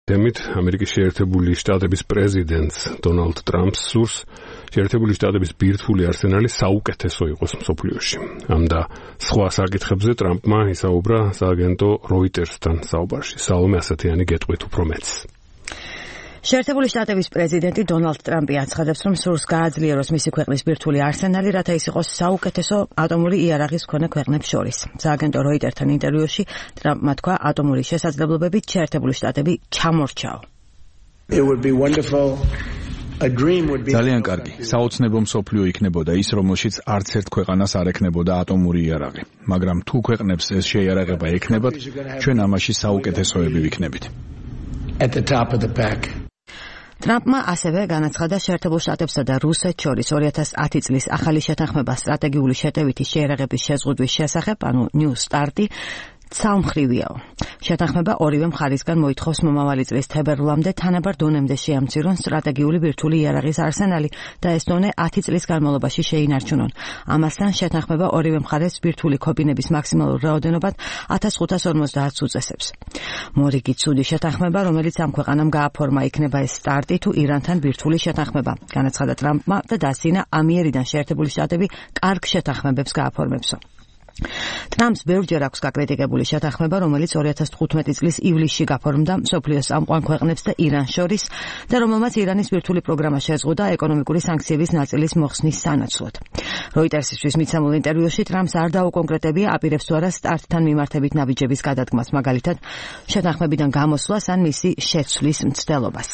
თემით ამერიკის შეერთებული შტატების პრეზიდენტს დონალდ ტრამპს სურს შეერთებული შტატების ბირთვული არსენალი საუკეთესო იყოს მსოფლიოში. ამ და სხვა საკითხებზე ტრამპმა ისაუბრა სააგენტო როიტერსთან საუბარში. სალომე ასათიანი გეტყვით უფრო მეც. შეერთებული შტატების პრეზიდენტი დონალდ ტრამპი აცხადებს, რომ სურს გააძლიეროს მისი ქვეყნის ბირთვული არსენალი, რათა ის იყოს საუკეთესო ატომური იარაღის მქონე ქვეყნებს შორის. სააგენტო როიტერთან ინტერვიუში ტრამპმა თქვა, ატომური შესაძლებლობებით შეერთებული შტატები ჩამორჩაო. ძალიან კარგი. საოცნებო მსოფლიო იქნებოდა ის, რომელშიც არც ერთ ქვეყანას არ ექნებოდა ატომური იარაღი. მაგრამ თუ ქვეყნებს ეს შეიარაღება ექნებათ, ჩვენ ამაში საუკეთესოები ვიქნებით. ტრამპმა ასევე განაცხადა შეერთებულ შტატებსა და რუსეთს შორის 2010 წლის ახალი შეთანხმება სტრატეგიული შეტევითი შეიარაღების შეზღუდვის შესახებ, ანუ New START-ი ცალმხრივიაო. შეთანხმება ორივე მხარისგან მოითხოვს მომავალი წლის თებერვლამდე თანაბარ დონემდე შეამცირონ სტრატეგიული ბირთვული იარაღის არსენალი და ეს დონე 10 წლის განმავლობაში შეინარჩუნონ. ამასთან შეთანხმება ორივე მხარეს ბირთვული ქობინების მაქსიმალურ რაოდენობად 1550 უწესებს. მორიგი ცუდი შეთანხმება, რომელიც ამ ქვეყანამ გააფორმა, იქნება ეს START-ი თუ ირანთან ბირთვული შეთანხმება, განაცხადა ტრამპმა და დასძინა ამიერიდან შეერთებული შტატები კარგ შეთანხმებებს გააფორმებსო. ტრამპს ბევრჯერ აქვს გაკრიტიკებული შეთანხმება, რომელიც 2015 წლის ივლისში გაფორმდა მსოფლიოს წამყვან ქვეყნებს და իրანს შორის და რომელმაც ირანის ბირთვული პროგრამა შეზღუდა ეკონომიკური სანქციების ნაწილის მოხსნის სანაცვლოდ. როიტერსისთვის მიცემულ ინტერვიუში ტრამპს არ დაუკონკრეტებია, აპირებს თუ არა START-თან მიმართებით ნაბიჯების გადადგმას, მაგალითად შეთანხმებიდან გამოსვლას ან მისი შეცვლის მცდელობას.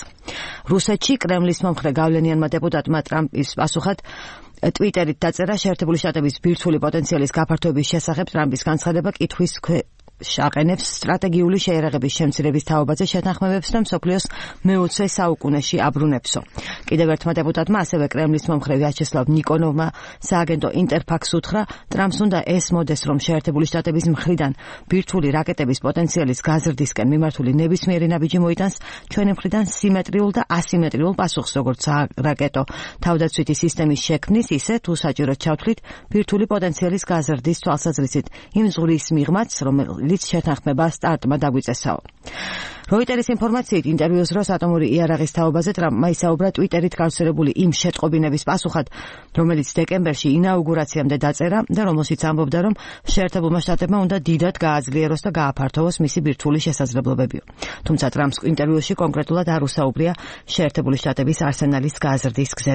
რუსეთში კრემლის მომხრე გავლენიანმა დეპუტატმა ტრამპის პასუხად ტვიტერით დაწერა შეერთებული შტატების ბირთვული პოტენციალის გაფართოების შესახებ ტრამპის განცხადება კითხვის აყენებს სტრატეგიული შეიარაღების შემცირების თაობაზე შეთანხმებებს და მსოფლიოს მე-20 საუკუნეში აბრუნებსო. კიდევ ერთმა დეპუტატმა ასევე კრემლის მომხრე ვიაჩესლავ ნიკონოვმა სააგენტო ინტერფაქს უთხრა, ტრამპს უნდა ესმოდეს, რომ შეერთებული შტატების მხრიდან ბირთვული რაკეტების პოტენციალის გაზრდისკენ მიმართული ნებისმიერი ნაბიჯი მოიტანს ჩვენი მხრიდან სიმეტრიულ და ასიმეტრიულ პასუხს, როგორც რაკეტო თავდაცვითი სისტემის შექმნის, ისე თუ საჭიროდ ჩავთვლით ბირთვული პოტენციალის გაზრდის თვალსაზრისით იმ ზღვის მიღმაც, რომელიც შეთანხმება START-მა დაგვიწესაო. როიტერის ინფორმაციით ინტერვიუს დროს ატომური იარაღის თაობაზე ტრამპმა ისაუბრა ტვიტერით გავრცელებული იმ შეტყობინების პასუხად, რომელიც დეკემბერში ინაუგურაციამდე დაწერა და რომელშიც ამბობდა, რომ შეერთებულმა შტატებმა უნდა დიდად გააძლიეროს და გააფართოვოს მისი ბირთვული შესაძლებლობებიო. თუმცა ტრამპს ინტერვიუში კონკრეტულად არ უსაუბრია შეერთებული შტატების არსენალის გაზრდის გზებზე.